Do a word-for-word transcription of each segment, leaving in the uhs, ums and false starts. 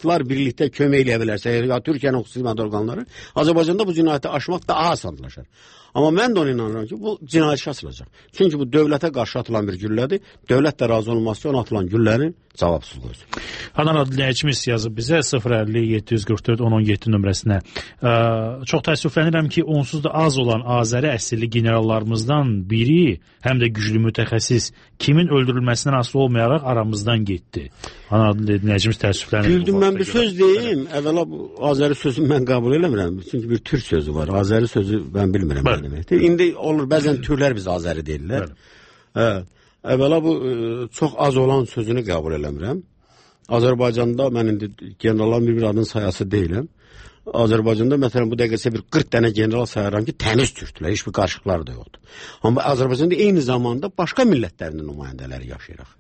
tərəflər birlikdə kömək eləyə bilərsə, ya Türkiyənin xüsusi xidmət orqanları, Azərbaycanda bu cinayəti aşmaq daha asanlaşır. Amma mən də ona inanıram ki, bu cinayət açılacaq. Çünki bu dövlətə qarşı atılan bir güllədir. Dövlət də razı olmazsa ona atılan güllənin cavabsız qoysun. Hanan dinləyicimiz yazıb bizə sıfır əlli yeddi yüz qırx dörd on on yeddi nömrəsinə. Ə, çox təəssüflənirəm ki, onsuz da az olan Azəri əsilli generallarımızdan biri, həm də güclü mütəxəssis, kimin öldürülməsindən asılı olmayaraq aramızdan getdi. Hanan dinləyicimiz təəssüflənir. Güldüm, mən bir söz deyim. Əvvəla bu Azəri sözünü mən qəbul eləmirəm. Çünki bir türk sözü var. Azəri sözü mən bilmirəm. Bəli. Deməkdir. İndi olur, bəzən türlər biz Azəri deyirlər. Hə. Əvvəla bu çox az olan sözünü qəbul eləmirəm. Azərbaycanda mən indi generalların bir-bir adının sayası deyiləm. Azərbaycanda məsələn bu dəqiqəsə bir qırx dənə general sayaram ki, təmiz türklər, heç bir qarışıqları da yoxdur. Amma Azərbaycanda eyni zamanda başqa millətlərin nümayəndələri yaşayırıq.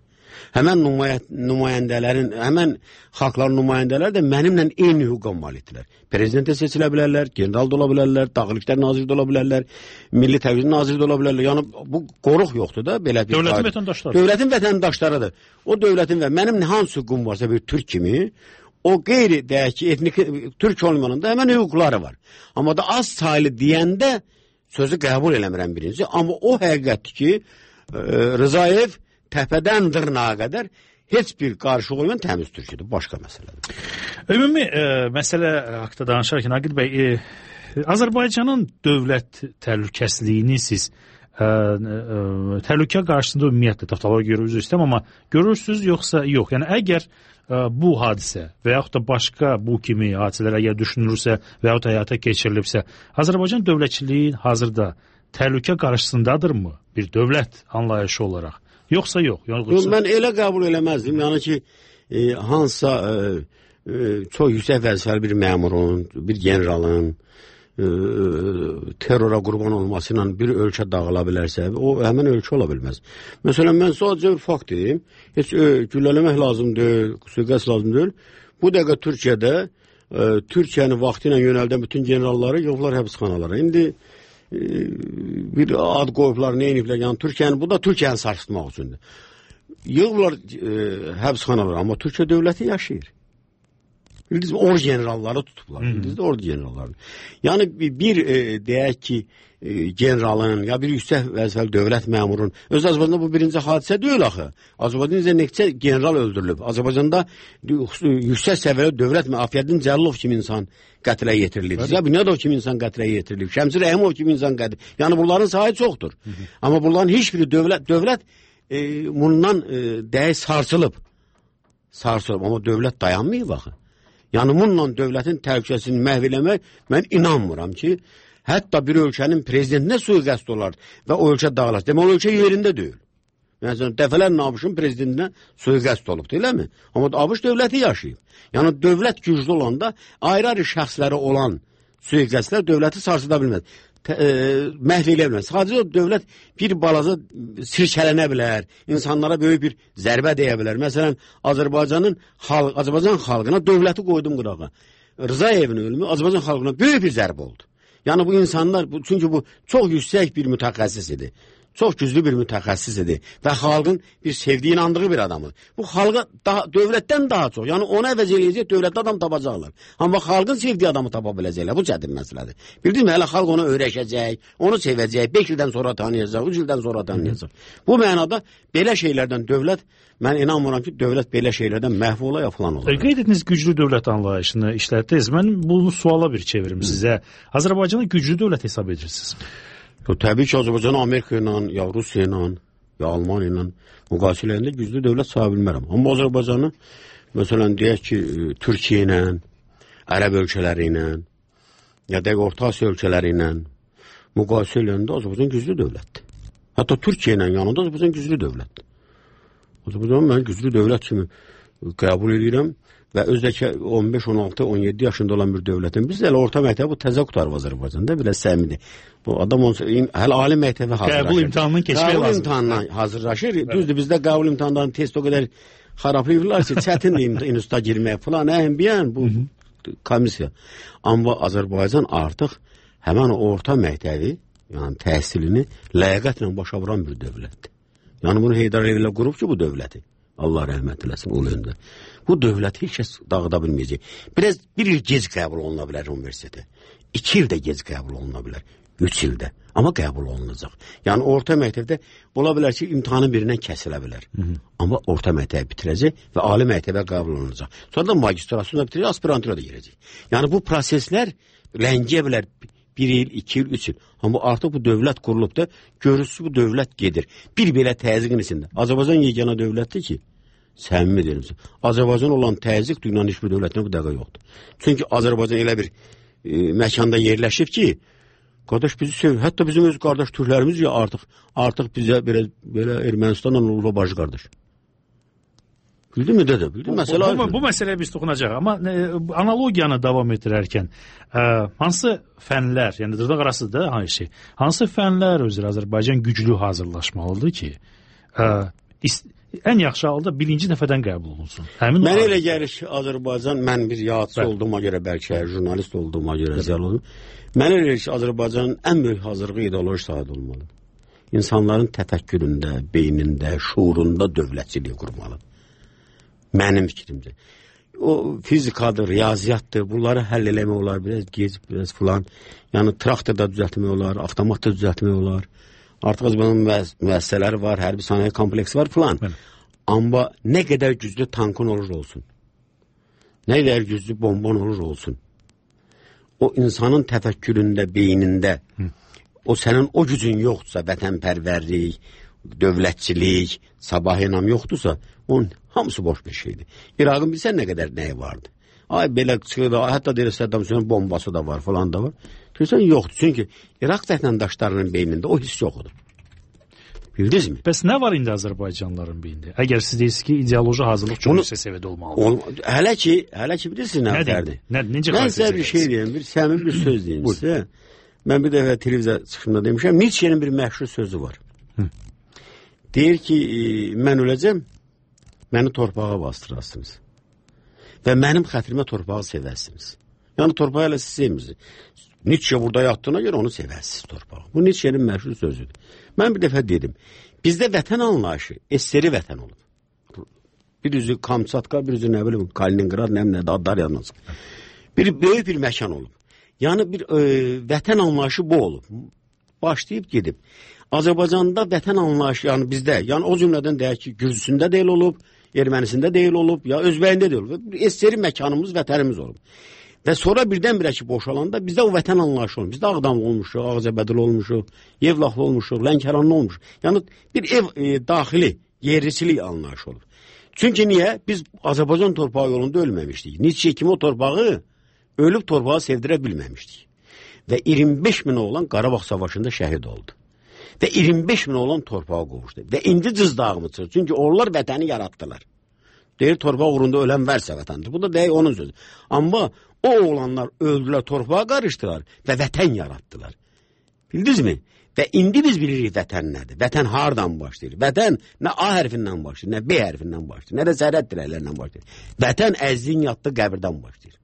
Həmən nümayəndələrin, həmən xalqların nümayəndələri də mənimlə eyni hüquqa malikdirlər. Prezidentə seçilə bilərlər, general da ola bilərlər, Daxili İşlər naziri də ola bilərlər, Milli Təhlükəsizlik naziri də ola bilərlər. Yəni bu qoruq yoxdur da belə bir. Dövlətin vətəndaşları. Dövlətin vətəndaşlarıdır. O dövlətin və mənim hansı hüququm varsa bir türk kimi, o qeyri deyək ki, etnik türk olmayanında həmən hüquqları var. Amma da az saylı deyəndə sözü qəbul eləmirəm birinci. Amma o həqiqətdir ki, Rzayev təpədən dırnağa qədər heç bir qarışıq olmayan təmiz türküdür. Başqa məsələdir. Ümumi e, məsələ haqda danışarkən, Aqil bəy, e, Azərbaycanın dövlət təhlükəsizliyini siz e, e, təhlükə qarşısında ümumiyyətlə taftalara görə üzr istəyirəm, amma görürsünüz yoxsa yox? Yəni əgər e, bu hadisə və yaxud da başqa bu kimi hadisələr əgər düşünülürsə və yaxud həyata keçirilibsə, Azərbaycan dövlətçiliyi hazırda təhlükə qarşısındadırmı bir dövlət anlayışı olaraq? Yoxsa yox. Yox, mən elə qəbul eləməzdim. Yəni ki, e, hansısa e, e, çox yüksək vəzifəli bir məmurun, bir generalın e, terrora qurban olmasıyla bir ölkə dağıla bilərsə, o həmən ölkə ola bilməz. Məsələn, mən sadəcə bir fakt deyim. Heç e, güllələmək lazım deyil, suiqəst lazım deyil. Bu dəqiqə Türkiyədə e, Türkiyənin vaxtı ilə yönəldən bütün generalları yoxlar həbsxanalara. İndi bir ad qoyublar, nə iniblər, yəni Türkiyənin, bu da Türkiyəni sarsıtmaq üçündür. Yığırlar e, həbsxanalar, amma Türkiyə dövləti yaşayır. Bildiniz mi, or generalları tutublar, bildiniz də or generalları. Yəni bir e, deyək ki, e, generalın, ya bir yüksək vəzifəli dövlət məmurun, öz Azərbaycanda bu birinci hadisə deyil axı. Azərbaycanda neçə general öldürülüb. Azərbaycanda yüksək səviyyəli dövlət Afiyəddin Cəlilov kimi insan qətlə yetirilib. Zəbinədov kimi insan qətlə yetirilib. Şəmsi Rəhimov kimi insan qətlə. Yəni bunların sayı çoxdur. Hı -hı. Amma bunların heç biri dövlət, dövlət e, bundan e, dəyə sarsılıb. Sarsılıb. Amma dövlət dayanmayıb axı. Yəni bununla dövlətin təhlükəsini məhv eləmək, mən inanmıram ki, hətta bir ölkənin prezidentinə suiqəst olar və o ölkə dağılar. Demək, o ölkə yerində deyil. Yəni, dəfələrlə ABŞ-ın prezidentinə suiqəst olubdur, eləmi? Amma ABŞ dövləti yaşayıb. Yəni, dövlət güclü olanda ayrı-ayrı şəxsləri olan suiqəstlər dövləti sarsıda bilməz. Tə, e, məhv eləyə bilməz. Sadəcə o dövlət bir balaca sirkələnə bilər, insanlara böyük bir zərbə deyə bilər. Məsələn, Azərbaycanın xalq, Azərbaycan xalqına dövləti qoydum qırağa. Rzayevin ölümü Azərbaycan xalqına böyük bir zərbə oldu. Yəni bu insanlar, bu, çünki bu çox yüksək bir mütəxəssis idi. Çox güclü bir mütəxəssis idi və xalqın bir sevdiyi, inandığı bir adamı. Bu xalqa daha, dövlətdən daha çox, yəni ona əvəz eləyəcək dövlətdə adam tapacaqlar. Amma xalqın sevdiyi adamı tapa biləcəklər, bu çətin məsələdir. Bildin mi, hələ xalq onu öyrəşəcək, onu sevəcək, beş ildən sonra tanıyacaq, üç ildən sonra tanıyacaq. Bu mənada belə şeylərdən dövlət, mən inanmıram ki, dövlət belə şeylərdən məhv ola ya falan olar. Qeyd etdiniz güclü dövlət anlayışını işlətdiniz. Mən bunu suala bir çevirim sizə. Azərbaycanı güclü dövlət hesab edirsiniz. Yo, təbii ki, Azərbaycan Amerika ilə, ya Rusiya ilə, ya Almaniya ilə müqayisələrində güclü dövlət sahə bilmərəm. Amma Azərbaycanı, məsələn, deyək ki, Türkiyə ilə, Ərəb ölkələri ilə, ya da Orta Asiya ölkələri ilə müqayisə eləndə Azərbaycan güclü dövlətdir. Hətta Türkiyə ilə yanında Azərbaycan güclü dövlətdir. Azərbaycanı mən güclü dövlət kimi qəbul edirəm və özdəki on beş, on altı, on yeddi yaşında olan bir dövlətin, biz də elə orta məktəbi bu təzə qutarıb Azərbaycanda, belə səmidi. Bu adam hələ ali məktəbə hazırlaşır. Qəbul imtahanının keçmək lazım. Qəbul imtahanına hazırlaşır. Düzdür, bizdə qəbul imtahanlarının test o qədər xarablayırlar ki, çətindir instituta girmək falan, əhəm biyən bu komisiya. Amma Azərbaycan artıq həmən orta məktəbi, yəni təhsilini ləyaqətlə başa vuran bir dövlətdir. Yəni bunu Heydər Əliyev qurub ki, bu dövləti. Allah rəhmət eləsin ulu öndər. Bu dövləti heç kəs dağıda bilməyəcək. Biraz bir il gec qəbul oluna bilər universitetə. İki ildə gec qəbul oluna bilər. Üç ildə. Amma qəbul olunacaq. Yəni orta məktəbdə ola bilər ki, imtahanın birindən kəsilə bilər. Hı -hı. Amma orta məktəbi bitirəcək və ali məktəbə qəbul olunacaq. Sonra da magistrasını da bitirəcək, aspirantura da girəcək. Yəni bu proseslər ləngiyə bilər bir il, iki il, üç il. Amma artıq bu dövlət qurulub da görürsü bu dövlət gedir. Bir belə təzyiqin içində. Azərbaycan yeganə dövlətdir ki, səmimi deyirəm. Azərbaycan olan təzyiq dünyanın hiçbir dövlətində bu dəqiqə yoxdur. Çünki Azərbaycan elə bir e, məkanda yerləşib ki, qardaş bizi sev. Hətta bizim öz qardaş türklərimiz ya artıq artıq bizə belə belə Ermənistanla olub baş qardaş. Bildin mi dədə? Bildin məsələ. Bu, bu, bu məsələyə biz toxunacağıq, amma e, analogiyanı davam etdirərkən e, hansı fənlər, yəni dırnaq arası da hansı şey, hansı fənlər üzrə Azərbaycan güclü hazırlaşmalıdır ki, e, ən yaxşı halda birinci dəfədən qəbul olunsun. Həmin mən elə gəlir ki, Azərbaycan, mən bir yadçı Bəl. olduğuma görə, bəlkə jurnalist olduğuma görə ziyarlı oldum. Mən elə gəlir ki, Azərbaycanın ən böyük hazırlığı ideoloji sahədə olmalıdır. İnsanların təfəkküründə, beynində, şuurunda dövlətçiliyi qurmalıdır. Mənim fikrimcə. O fizikadır, riyaziyyatdır, bunları həll eləmək olar, biraz gec, biraz filan. Yəni traktorda düzəltmək olar, avtomatda düzəltmək olar. Artıq Azərbaycanın müəssisələri var, hərbi sənaye kompleksi var filan. Amma nə qədər güclü tankın olur olsun, nə qədər güclü bomban olur olsun, o insanın təfəkküründə, beynində, Hı. o sənin o gücün yoxdursa, vətənpərvərlik, dövlətçilik, sabah inam yoxdursa, onun hamısı boş bir şeydir. İraqın bilsən nə qədər nəyi vardı? Ay belə çıxır, hətta deyir Səddam Hüseynin bombası da var, falan da var. Görürsən yoxdur. Çünki İraq vətəndaşlarının beynində o hiss yoxdur. Bildiniz mi? Bəs nə var indi Azərbaycanlıların beynində? Əgər siz deyirsiniz ki, ideoloji hazırlıq çox yüksək səviyyədə olmalıdır. Ol, hələ ki, hələ ki bilirsiniz nə fərqdir? Mən sizə bir şey deyim, bir səmimi bir söz deyim sizə. Mən bir dəfə televiziya çıxışında demişəm, Nietzsche'nin bir məşhur sözü var. Hı. Deyir ki, mən öləcəm, məni torpağa bastırasınız. Və mənim xətrimə torpağı sevərsiniz. Yəni torpağı elə siz sevmirsiniz. Nietzsche burada yatdığına görə onu sevərsiniz torpağı. Bu Nietzsche'nin məşhur sözüdür. Mən bir dəfə dedim, bizdə vətən anlayışı eseri vətən olub. Bir üzü Kamçatka, bir üzü nə bilim Kaliningrad, nə bilim adlar yazılmasın. Bir böyük bir məkan olub. Yəni bir e, vətən anlayışı bu olub. Başlayıb gedib. Azərbaycanda vətən anlayışı, yəni bizdə, yəni o cümlədən deyək ki, Gürcüsündə deyil olub, Ermənisində deyil olub, ya Özbəyində deyil olub. Eseri məkanımız, vətənimiz olub. Və sonra birdən-birə ki, boşalanda bizdə o vətən anlayışı olmuş. Bizdə Ağdam olmuşuq, Ağzəbədil olmuşuq, Yevlaxlı olmuşuq, Lənkəranlı olmuşuq. Yəni bir ev e, daxili, yerlisilik anlayışı olub. Çünki niyə? Biz Azərbaycan torpağı yolunda ölməmişdik. Nietzsche kimi o torpağı ölüb torpağı sevdirə bilməmişdik. Və iyirmi beş min oğlan Qarabağ savaşında şəhid oldu. Və iyirmi beş min oğlan torpağa qovuşdu. Və indi cızdağımı çıxır. Çünki onlar vətəni yaratdılar. Deyir, torpaq uğrunda ölən vərsə vətəndir. Bu da deyək onun sözü. Amma o oğlanlar öldülər, torpağa qarışdılar və vətən yaratdılar. Bildinizmi? Və indi biz bilirik vətən nədir? Vətən hardan başlayır? Vətən nə A hərfindən başlayır, nə B hərfindən başlayır, nə də zərət dirəklərindən başlayır. Vətən əzziyin yatdığı qəbirdən başlayır.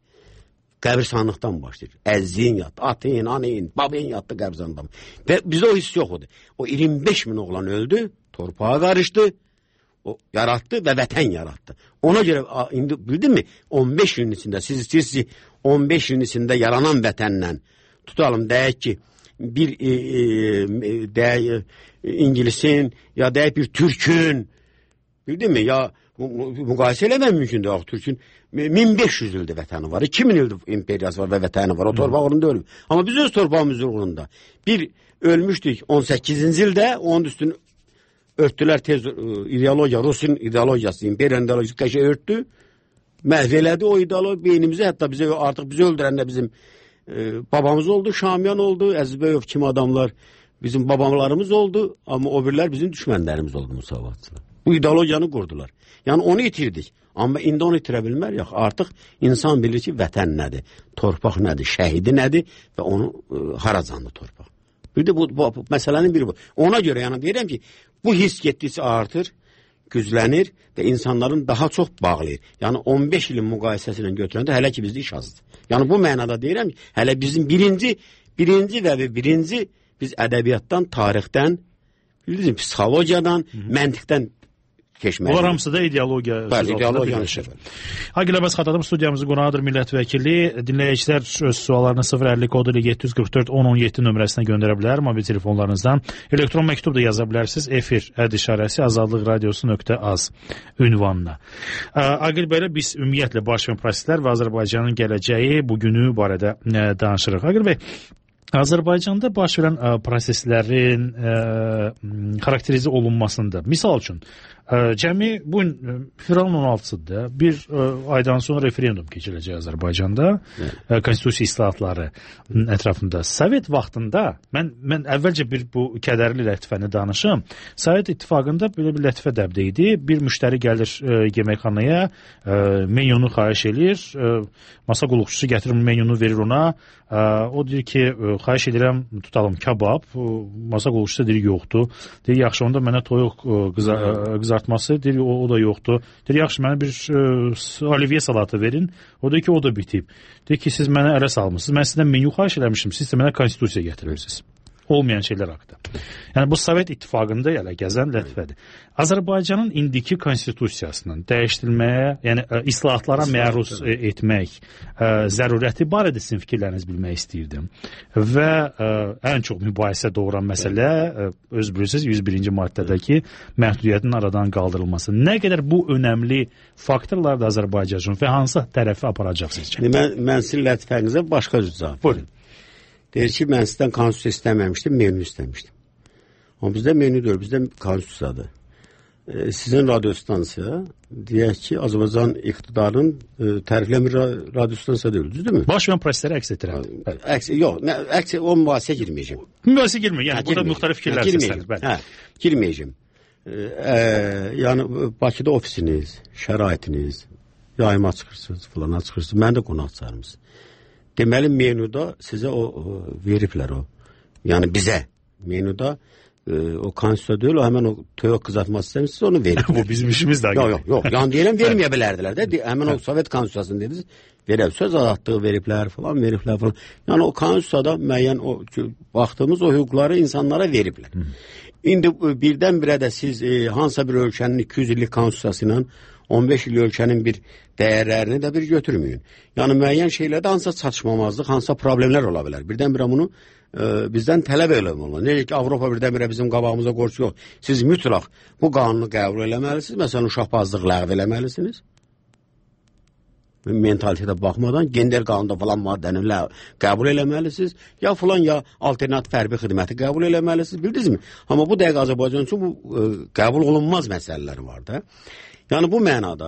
Qəbirsanlıqdan başlayır. Əzziyin yatdı, atın, anın, babın yatdı qəbirsanlıqdan. Və bizdə o hiss yox odur. O iyirmi beş min oğlan öldü, torpağa qarışdı, o yaratdı və vətən yaratdı. Ona görə indi bildin mi? on beş ilin içində siz istəyirsiniz on beş ilin içində yaranan vətənlə tutalım deyək ki bir e, e, deyək İngilisin ya deyək bir Türkün bildin mi? Ya müqayisə eləmək mümkündür. Axı Türkün min beş yüz ildir vətəni var. iki min ildir imperiyası var və vətəni var. O torpaq uğrunda ölmür. Amma biz öz torpağımız uğrunda bir ölmüşdük on səkkizinci ildə, onun üstünü örtdülər tez ideologiya, Rusun ideologiyası, imperiyanın ideologiyası qəşə örtdü. Məhv elədi o ideologiya beynimizi, hətta bizə artıq bizi öldürən də bizim e, babamız oldu, Şamyan oldu, Əzizbəyov kimi adamlar bizim babalarımız oldu, amma o birlər bizim düşmənlərimiz oldu müsavatçılar. Bu ideologiyanı qurdular. Yəni onu itirdik. Amma indi onu itirə bilmərik. Artıq insan bilir ki, vətən nədir, torpaq nədir, şəhidi nədir və onu e, haracanlı torpaq. Bir də bu, bu, bu məsələnin biri bu. Ona görə yəni deyirəm ki, bu his getdikcə artır, güclənir və insanların daha çox bağlayır. Yəni on beş ilin müqayisəsi ilə götürəndə hələ ki bizdə iş azdır. Yəni bu mənada deyirəm ki, hələ bizim birinci, birinci və birinci biz ədəbiyyatdan, tarixdən, bildiniz, psixologiyadan, Hı -hı. məntiqdən keçmək. Bunlar hamısı da ideologiya. Bəli, ideologiyanın işi. Agil Abbas Xatadov studiyamızın qonağıdır, millət vəkili. Dinləyicilər öz suallarını sıfır əlli kodu ilə yeddi yüz qırx dörd on on yeddi nömrəsinə göndərə bilər mobil telefonlarınızdan. Elektron məktub da yaza bilərsiniz. Efir əd işarəsi azadlıq radiosu nöqtə az ünvanına. Agil bəy, biz ümumiyyətlə baş verən proseslər və Azərbaycanın gələcəyi, bugünü barədə danışırıq. Agil bəy, Azərbaycanda baş verən ə, proseslərin ə, xarakterize olunmasında, misal üçün, ə, cəmi bu gün fevralın on altısıdır, bir ə, aydan sonra referendum keçiriləcək Azərbaycanda, ə, konstitusiya islahatları ətrafında. Sovet vaxtında, mən, mən əvvəlcə bir bu kədərli lətifəni danışım, Sovet İttifaqında belə bir lətifə dəbdə idi, bir müştəri gəlir ə, yeməkxanaya, ə, menyonu xahiş edir, ə, masa qulluqçusu gətirir menyonu verir ona, ə, o deyir ki, ə, xahiş edirəm, tutalım kabab, masa qulluqçusu deyir yoxdur, deyir yaxşı onda mənə toyuq qıza, qızartması, deyir o, o da yoxdur, deyir yaxşı mənə bir ə, olivye salatı verin, o deyir ki o da bitib, deyir ki siz mənə ələ salmışsınız, mən sizdən menyu xahiş eləmişim, siz də mənə konstitusiya getirirsiniz. Olmayan şeylər haqqında. Yəni bu Sovet İttifaqında elə gəzən lətifədir. Azərbaycanın indiki konstitusiyasının dəyişdirilməyə, yəni ə, islahatlara məruz ə, etmək ə, zərurəti barədə sizin fikirlərinizi bilmək istəyirdim. Və ə, ən çox mübahisə doğuran məsələ ə, öz bilirsiniz yüz birinci maddədəki məhdudiyyətin aradan qaldırılması. Nə qədər bu önəmli faktorlar da Azərbaycan üçün və hansı tərəfi aparacaq sizcə? Mən, mən sizin lətifənizə başqa cür cavab. Buyurun. Deyir ki, mən sizdən konstitusiya istəməmişdim, menü istəmişdim. Amma bizdə menü deyil, bizdə konstitusiyadır. E, sizin radiostansiya, deyək ki, Azərbaycan iqtidarın e, təriflən bir radiostansiya deyil, düzdürmü? Baş verən prosesləri əks etdirən. Əks, yox, nə, əks, o mübahisəyə girməyəcəm. Mübahisəyə girməyəcəm, yəni hə, burada müxtəlif fikirlər səslənir. Hə, girməyəcəm. E, e, yəni, Bakıda ofisiniz, şəraitiniz, yayıma çıxırsınız, filana çıxırsınız, mən də qonaq çağırmışsınız. Deməli, menuda sizə o, o veriblər o. Yəni bizə menuda e, o konstitusiya deyil, o həmən o toyuq qızartması istəmişsiniz, onu veriblər. Bu bizim işimiz də. Yox, yox, yox. Yəni deyirəm, verməyə bilərdilər də. Həmən o Sovet konstitusiyasını dediniz, verib, söz azadlığı veriblər falan, veriblər falan. Yəni o konstitusiyada müəyyən o baxdığımız o hüquqları insanlara veriblər. Hı. İndi birdən-birə də siz e, hansısa bir ölkənin iki yüz illik konstitusiyası ilə on beş il ölkənin bir dəyərlərini də bir götürməyin. Yəni müəyyən şeylərdə hansısa çatışmamazlıq, hansısa problemlər ola bilər. Birdən-birə bunu e, bizdən tələb eləmək. Necə ki, Avropa birdən-birə bizim qabağımıza qorxu yox. Siz mütləq bu qanunu qəbul eləməlisiniz. Məsələn, uşaqbazlıq ləğv eləməlisiniz. Mentalitetə baxmadan gender qanunda falan maddəni qəbul eləməlisiniz. Ya falan ya alternativ hərbi xidməti qəbul eləməlisiniz. Bildinizmi? Amma bu dəqiqə Azərbaycan üçün bu e, qəbul olunmaz məsələlər var da. Yəni bu mənada,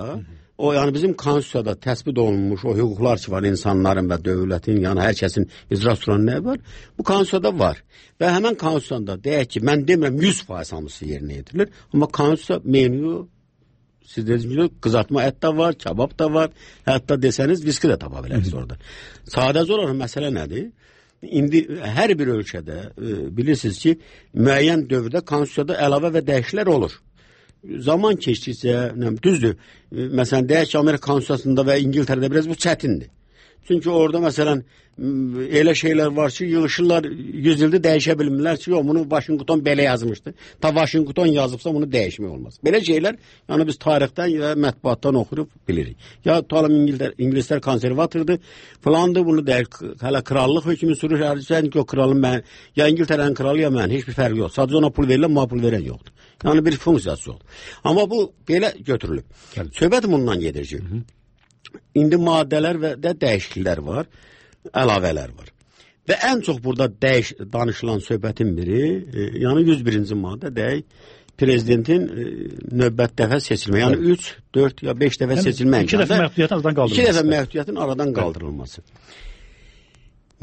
o yəni bizim konstitusiyada təsbit olunmuş o hüquqlar ki var insanların və dövlətin, yəni hər kəsin icra tutulan nə var? Bu konstitusiyada var. Və həmən konstitusiyada deyək ki, mən demirəm yüz faiz hamısı yerinə yetirilir, amma konstitusiya menyu, siz dediniz, qızartma ət də var, kebab da var, hətta desəniz viski də tapa bilərsiniz orada. Sadəcə olaraq məsələ nədir? İndi hər bir ölkədə e, bilirsiniz ki, müəyyən dövrdə konstitusiyada əlavə və dəyişikliklər olur. Zaman keçdikcə, düzdür, məsələn, deyək ki, Amerika konstitusiyasında və İngiltərədə biraz bu çətindir. Çünki orada, məsələn, elə şeylər var ki, yığışırlar, yüz ildə dəyişə bilmirlər ki, yox, bunu Washington belə yazmışdı. Ta Washington yazıbsa, bunu dəyişmək olmaz. Belə şeylər, yəni biz tarixdən ya mətbuatdan oxuyub bilirik. Ya tutalım, İngiltər, İngilislər konservatordur, falandır, bunu deyək, hələ krallıq hökmü sürür, sən ki, o kralın mən, ya İngiltərənin kralı, ya mən, heç bir fərqi yox. Sadəcə ona pul verirlər, ma pul verən yoxdur. Yəni bir funksiyası yoxdur. Amma bu belə götürülüb. Söhbət bundan gedir ki, İndi maddələr və də dəyişikliklər var, əlavələr var. Və ən çox burada dəyiş, danışılan söhbətin biri, e, yəni yüz birinci maddə deyək, prezidentin e, növbət dəfə seçilmə. Yəni üç, dörd ya beş dəfə seçilmə. İki dəfə məhdudiyyətin aradan qaldırılması. İki dəfə məhdudiyyətin aradan qaldırılması.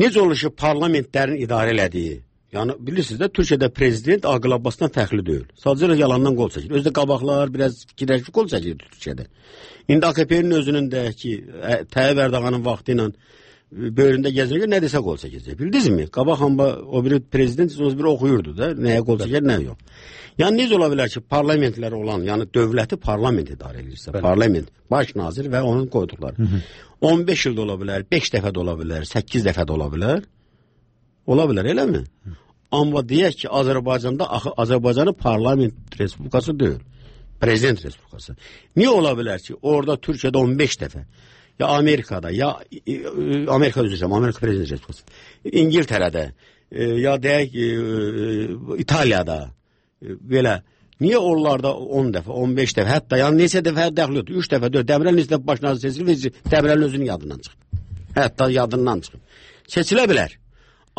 Necə olur ki, parlamentlərin idarə elədiyi, yəni bilirsiniz də, Türkiyədə prezident Aqil Abbasdan fərqli deyil. Sadəcə yalandan qol çəkir. Özdə qabaqlar biraz fikirləşib qol çəkir Türkiyədə. İndi A K P-nin özünün də ki, Tayyip Ərdoğanın vaxtı ilə böyründə gəzirək, nə desə qol çəkəcək. Bildinizmi? Qabaq hamba o biri prezident o biri oxuyurdu da, nəyə qol çəkər, nə yox. Yəni necə ola bilər ki, parlamentlər olan, yəni dövləti parlament idarə edirsə, Bəli. Parlament, baş nazir və onun qoyduqları. Hı -hı. on beş ildə ola bilər, beş dəfə də ola bilər, səkkiz dəfə də ola bilər. Ola bilər, eləmi? Amma deyək ki, Azərbaycanda axı Azərbaycanın parlament respublikası deyil. Prezident Respublikası. Niye ola bilər ki, orada Türkiyədə on beş dəfə, ya Amerikada, ya Amerika üzrəm, Amerika Prezident Respublikası, İngiltərədə, ya deyək İtaliyada, belə, niyə onlarda on dəfə, on beş dəfə, hətta yəni neçə dəfə dəxil yoxdur, üç dəfə, dörd, Dəmirəl neçə dəfə başına seçilir, Dəmirəlin özünün yadından çıxır. Hətta yadından çıxır. Seçilə bilər.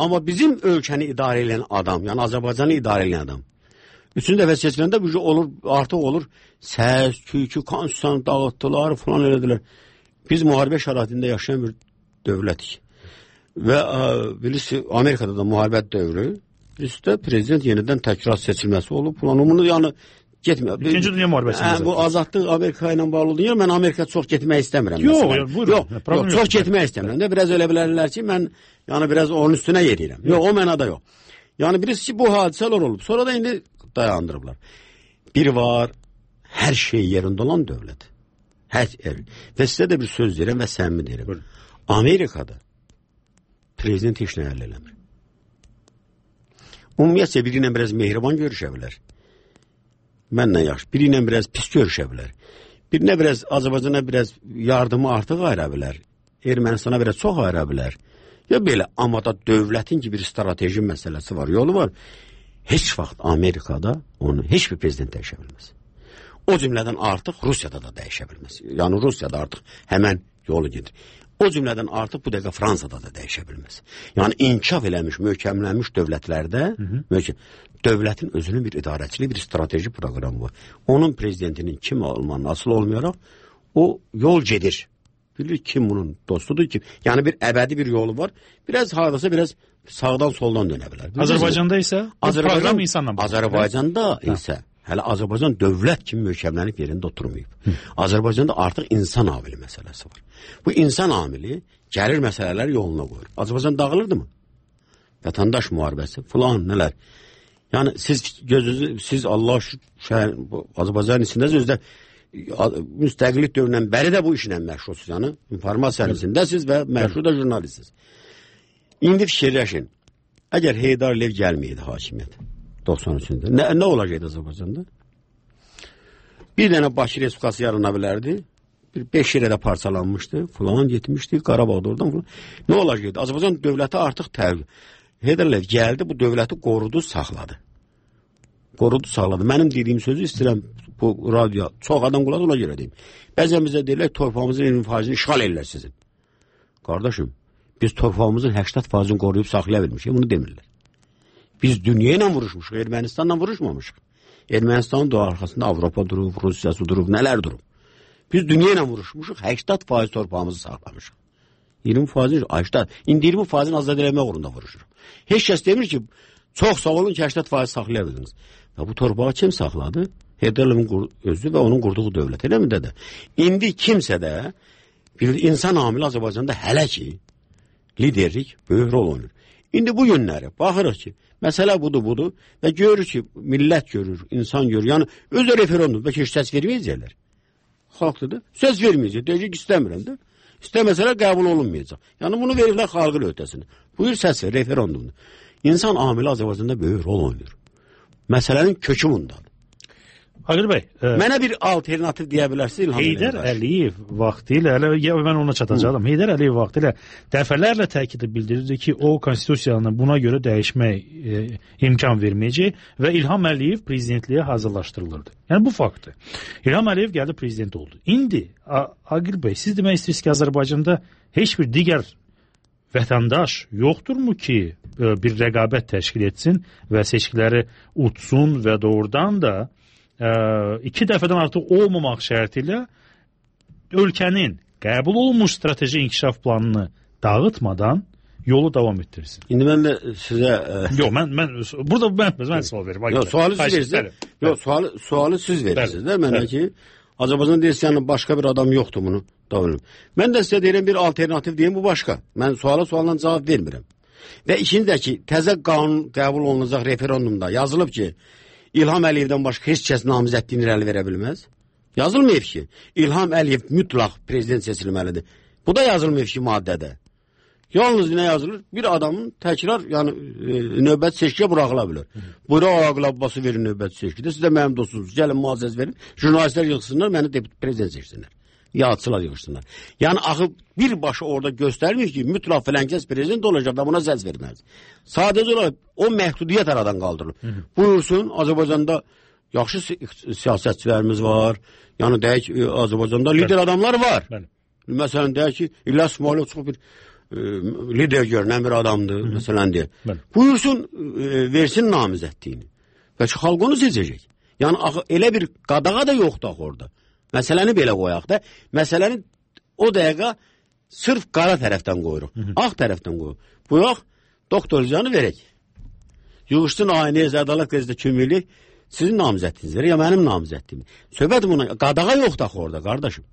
Amma bizim ölkəni idarə edən adam, yəni Azərbaycanı idarə edən adam, üçüncü dəfə seçiləndə bu olur, artıq olur, səs, küykü, konstitusiyanı dağıtdılar, falan elədilər. Biz müharibə şəraitində yaşayan bir dövlətik. Və bilirsiniz, Amerikada da müharibə dövrü, bizdə prezident yenidən təkrar seçilməsi olub, falan. Bunu yəni getmir. İkinci Dünya müharibəsində. Bu azadlıq Amerika ilə bağlı oldu. Mən Amerika çox getmək istəmirəm. Yox, buyurun. Yox, yox, çox getmək istəmirəm. Biraz elə bilərlər ki, mən yəni biraz onun üstünə yeriyirəm. Yox, o mənada yox. Yəni birisi bu hadisələr olub. Sonra da indi dayandırıblar. Bir var, hər şey yerində olan dövlət. Hər yer. Və sizə də bir söz deyirəm və səmimi deyirəm. Buyurun. Amerikada prezident heç nə əldə eləmir. Ümumiyyətcə biri ilə biraz mehriban görüşə bilər. Mənlə yaxşı. Biri ilə biraz pis görüşə bilər. Birinə biraz, Azərbaycana biraz yardımı artıq ayıra bilər. Ermənistana biraz çox ayıra bilər. Ya belə, amma da dövlətin ki bir strateji məsələsi var, yolu var. Heç vaxt Amerikada onu heç bir prezident dəyişə bilməz. O cümlədən artıq Rusiyada da dəyişə bilməz. Yəni Rusiyada artıq həmən yolu gedir. O cümlədən artıq bu dəqiqə Fransada da dəyişə bilməz. Yəni inkişaf eləmiş, möhkəmlənmiş dövlətlərdə hı -hı. Möhkəm, dövlətin özünün bir idarəçiliyi, bir strateji proqramı var. Onun prezidentinin kim olmanın asıl olmayaraq o yol gedir. Bilir kim bunun dostudur ki. Yəni bir əbədi bir yolu var. Biraz hardasa biraz sağdan soldan dönə bilər. Azərbaycanda isə Azərbaycan, proqram insanla bağlı. Azərbaycanda isə hələ Azərbaycan dövlət kimi möhkəmlənib yerində oturmayıb. Hı. Azərbaycanda artıq insan amili məsələsi var. Bu insan amili gəlir məsələləri yoluna qoyur. Azərbaycan dağılırdı mı? Vətəndaş müharibəsi filan nələr. Yəni siz gözünüzü, siz Allah şəhər, Azərbaycanın içindəsiz, özdə müstəqillik dövründən bəri də bu işlə məşğulsuz. Yəni informasiyanın içindəsiz və məşğul da jurnalistsiniz. İndi fikirləşin. Əgər Heydar Əliyev gəlməyəydi hakimiyyət doxsan üçüncüdə, nə, nə olacaqdı Azərbaycanda? Bir dənə Bakı Respublikası yarana bilərdi. Bir beş yerə də parçalanmışdı. Falan getmişdi. Qarabağda oradan falan. Nə olacaqdı? Azərbaycan dövləti artıq təvəqqə. Heydar Əliyev gəldi, bu dövləti qorudu, saxladı. Qorudu, saxladı. Mənim dediyim sözü istəyirəm bu radyo. Çox adam quladı, ona görə deyim. Bəzən bizə deyirlər, torpağımızın iyirmi faizini işğal edirlər sizin. Qardaşım, biz torpağımızın səksən faizini qoruyub saxlaya bilmişik. Bunu demirlər. Biz dünya ilə vuruşmuşuq, Ermənistanla vuruşmamışıq. Ermənistanın da arxasında Avropa durub, Rusiyası durub, nələr durub. Biz dünya ilə vuruşmuşuq, səksən faiz torpağımızı saxlamışıq. iyirmi faizini, səksən, indi iyirmi faizini azad eləmək uğrunda vuruşuruq. Heç kəs demir ki, çox sağ olun ki, səksən faiz saxlaya bildiniz. Və bu torpağı kim saxladı? Heydar Əliyevin özü və onun qurduğu dövlət, elə mi dədə? İndi kimsə də bir insan amili Azərbaycanda hələ ki liderlik böyük rol oynayır. İndi bu günləri baxırıq ki, məsələ budur, budur və görür ki, millət görür, insan görür. Yəni, özü referendum, bəlkə heç səs verməyəcəklər. Xalqdır, söz verməyəcək, deyəcək istəmirəm də. İstəməsələr qəbul olunmayacaq. Yəni, bunu verirlər xalqın öhdəsinə. Buyur səs ver, referendumdur. İnsan amili Azərbaycanda böyük rol oynayır. Məsələnin kökü bundadır. Aqil bəy, e, mənə bir alternativ deyə bilərsiniz İlham Heydər Əliyev vaxtilə, hələ ya mən ona çatacağam. Heydər Əliyev vaxtilə dəfələrlə təkid bildirirdi ki, o konstitusiyanı buna görə dəyişmək e, imkan verməyəcək və İlham Əliyev prezidentliyə hazırlaşdırılırdı. Yəni bu faktdır. İlham Əliyev gəldi prezident oldu. İndi Aqil bəy, siz demək istəyirsiniz ki, Azərbaycanda heç bir digər vətəndaş yoxdurmu ki, bir rəqabət təşkil etsin və seçkiləri utsun və doğrudan da iki dəfədən artıq olmamaq şərti ilə ölkənin qəbul olunmuş strateji inkişaf planını dağıtmadan yolu davam etdirsin. İndi mən də sizə... Yox, mən, mən, burada mən, mən sual verim. Yox, sualı siz verirsiniz. Yox, sualı, sualı siz verirsiniz də mənə ki, Azərbaycan deyirsən, başqa bir adam yoxdur bunu davam edim. Mən də sizə deyirəm bir alternativ deyim, bu başqa. Mən suala sualdan cavab vermirəm. Və ikinci də ki, təzə qanun qəbul olunacaq referendumda yazılıb ki, İlham Əliyevdən başqa heç kəs namizədliyini irəli verə bilməz. Yazılmayıb ki, İlham Əliyev mütləq prezident seçilməlidir. Bu da yazılmayıb ki, maddədə. Yalnız nə yazılır? Bir adamın təkrar, yəni e, növbət seçkiyə buraxıla bilər. Buyurun Ağaqul Abbası verin növbət seçkidə. Siz də mənim dostunuz, gəlin müazzəz verin. Jurnalistlər yığsınlar, məni prezident seçsinlər. Yağçılar yığışsınlar. Yəni axı birbaşa orada göstərmir ki, mütləq filankəs prezident olacaq da buna səs verməz. Sadəcə olaraq o məhdudiyyət aradan qaldırılır. Hı -hı. Buyursun, Azərbaycanda yaxşı siyasətçilərimiz var. Yəni deyək, Azərbaycanda lider Bəli. adamlar var. Bəli. Məsələn deyək ki, İlyas İsmailov çox bir e, lider görünən bir adamdır. Hı -hı. Məsələn deyək. Bəli. Buyursun, e, versin namizədliyini. Bəlkə xalq onu seçəcək. Yəni axı elə bir qadağa da yoxdur axı orada. Məsələni belə qoyaq da. Məsələni o dəqiqə sırf qara tərəfdən qoyuruq. Hı -hı. Ağ tərəfdən qoyuruq. Buyaq, doktor canı verək. Yığışsın Ayniyə Ədalət qəzetdə kimlik sizin namizədinizdir ya mənim namizədliyim. Söhbət buna qadağa yoxdur axı orada qardaşım.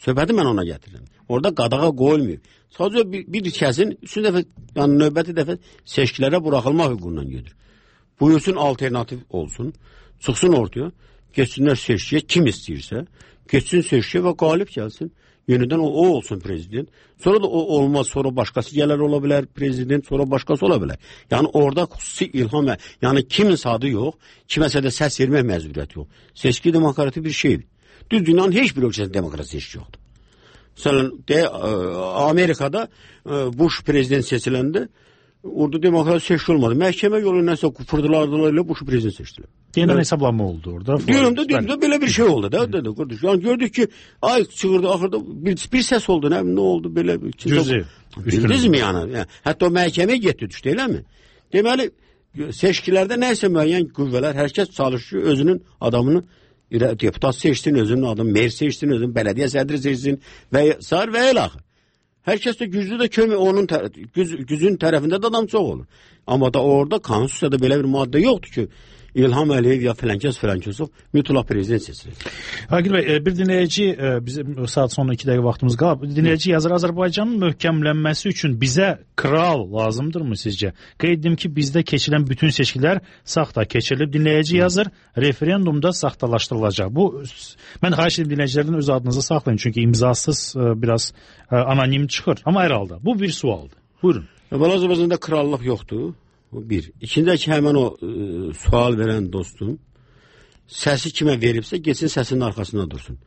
Söhbəti mən ona gətirirəm. Orada qadağa qoyulmuyor. Sadəcə bir, bir kəsin üçün dəfə, yəni növbəti dəfə seçkilərə buraxılmaq hüququndan gedir. Buyursun alternativ olsun. Çıxsın ortaya. Geçsinlər seçkiyə kim istəyirsə. Geçsin seçkiyə və qalib gəlsin. Yenidən o, o olsun prezident. Sonra da o olmaz. Sonra başqası gələr ola bilər prezident. Sonra başqası ola bilər. Yəni orada xüsusi ilham. Yəni kimin adı yox. Kiməsə də səs vermək məcburiyyəti yox. Seçki demokrati bir şeydir. Düz dünyanın heç bir ölkəsində demokrasi seçki yoxdur. Məsələn, de, Amerikada Bush prezident seçiləndə orada demokrasi seçki olmadı. Məhkəmə yolu nəsə fırdılardılar ilə Bush prezident seçdilər. Yeniden evet. Hesaplama oldu orada. Diyorum da, diyorum da belə bir şey oldu da. Dedi, kardeş. Yani gördük ki ay çığırdı ahırda bir, bir ses oldu. Ne, ne oldu böyle? Cüzi. Bildiniz mi yani? yani? Hatta o məhkəməyə getdi düşdü, elə mi? Deməli, seçkilərdə nəysə müəyyən qüvvələr, hər kəs çalışıyor özünün adamını deputat seçsin, özünün adamı mer seçsin, özünün belediye sədri seçsin və sar və el axı. Hər kəs də güclü də kömür, onun tər güc gücün tərəfində də adam çox olur. Amma da orada konstitusiyada belə bir maddə yoxdur ki, İlham Əliyev ya filankəs filankəsov mütləq prezident seçilir. Agil bəy, bir dinləyici, bizim saat sonra iki dəqiqə vaxtımız qalıb. Dinləyici yazır, Azərbaycanın möhkəmlənməsi üçün bizə kral lazımdırmı sizcə? Qeyd edim ki, bizdə keçilən bütün seçkilər saxta keçirilib. Dinləyici yazır, referendumda saxtalaşdırılacaq. Bu, mən xahiş edim dinləyicilərdən öz adınızı saxlayın, çünki imzasız biraz anonim çıxır. Amma hər halda, bu bir sualdır. Buyurun. Azərbaycanda krallıq yoxdur. Bir. İkincisi ki, həmən o e, sual verən dostum səsi kimə veribsə, geçsin səsinin arxasında dursun.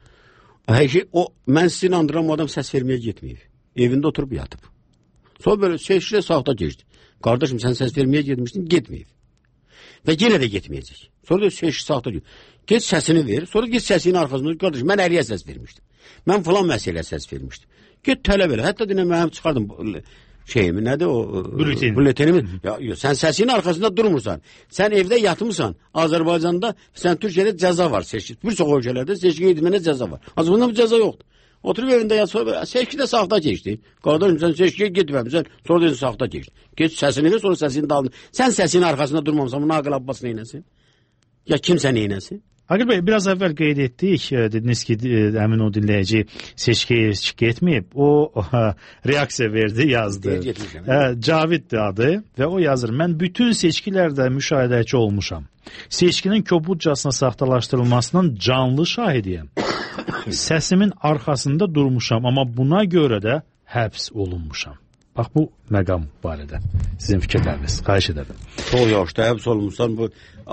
Həqiqi, o, mən sizi inandıram, o adam səs verməyə getməyib. Evində oturub yatıb. Sonra böyle seçkilə saxta geçdi. Qardaşım, sən səs verməyə getmişdin, getməyib. Və yenə də getməyəcək. Sonra da seçki saxta geçdi. Geç səsini ver, sonra geç səsinin arxasında. Qardaşım, mən əliyə səs vermişdim. Mən falan məsələyə səs vermişdim. Get tələb elə. Hətta dinə mənim çıxardım şeyimi, nədir o? Bülletini. Bülletini. Ya, ya, sən səsinin arxasında durmursan. Sən evdə yatmısan. Azərbaycanda, sən Türkiyədə cəza var seçki. Bir çox ölkələrdə seçki etmənə cəza var. Azərbaycanda bu cəza yoxdur. Oturub evində yat, sonra seçkidə saxta keçdi. Qardaşım, sən seçkiyə getməmisən, sonra dedin saxta keçdi. Geç səsini ver, sonra səsini dalın. Sən səsinin arxasında durmamısan, bunu Ağaqul Abbas neynəsin? Ya kimsə neynəsin? Agil bəy, biraz əvvəl qeyd etdik, dediniz ki, həmin o dinləyici seçkiyə getməyib, o reaksiya verdi, yazdı. Caviddir adı və o yazır, mən bütün seçkilərdə müşahidəçi olmuşam. Seçkinin kobudcasına saxtalaşdırılmasının canlı şahidiyəm. Səsimin arxasında durmuşam, amma buna görə də həbs olunmuşam. Bax, bu məqam barədə sizin fikirləriniz, xahiş edərdim. Çox yaxşı, həbs olmuşsan, bu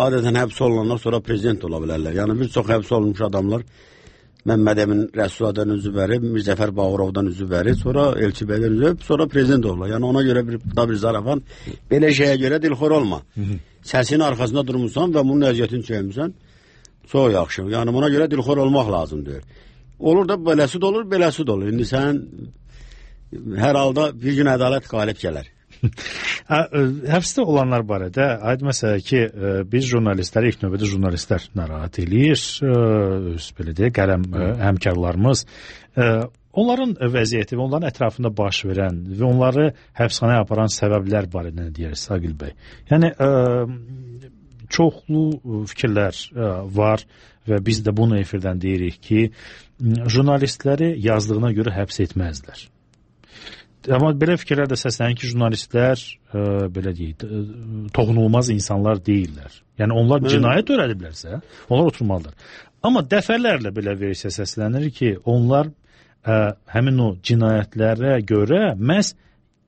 adətən həbs olunanlar sonra prezident ola bilərlər. Yəni bir çox həbs olunmuş adamlar Məmməd Əmin Rəsuladan üzü verib, Mirzəfər Bağırovdan üzü verib, sonra Elçi Bəydən üzü verib, sonra prezident olurlar. Yəni ona görə bir, bir zarafan, belə şeyə görə dilxor olma. Səsinin arxasında durmuşsan və bunun əziyyətini çəkmişsən, çox yaxşı. Yəni buna görə dilxor olmaq lazımdır. Olur da beləsi də olur, beləsi də olur. İndi sən hər halda bir gün ədalət qalib gələr. Həbsdə olanlar barədə aid məsələ ki, biz jurnalistlər, ilk növbədə jurnalistlər narahat eləyir, öz belə deyək, qələm həmkarlarımız. Onların vəziyyəti və onların ətrafında baş verən və onları həbsxanaya aparan səbəblər barədə nə deyərsiniz, Agil bəy? Yəni, çoxlu fikirlər var və biz də bunu efirdən deyirik ki, jurnalistləri yazdığına görə həbs etməzlər. Amma belə fikirlər də səslənir ki, jurnalistlər e, belə deyək, toxunulmaz insanlar deyirlər. Yəni onlar cinayət törədiblərsə, onlar oturmalıdır. Amma dəfələrlə belə versiya səslənir ki, onlar ə, həmin o cinayətlərə görə məhz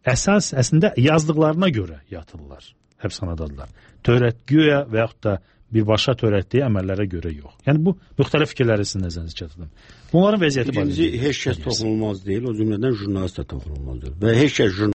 əsas əslində yazdıqlarına görə yatırlar, həbsxanadadılar. Törətgüyə və yaxud da birbaşa törətdiyi əməllərə görə yox. Yəni bu müxtəlif fikirləri sizin nəzərinizə çatdırdım. Bunların vəziyyəti İkinci, heç kəs toxunulmaz deyil, o cümlədən jurnalist də toxunulmaz deyil. Və heç kəs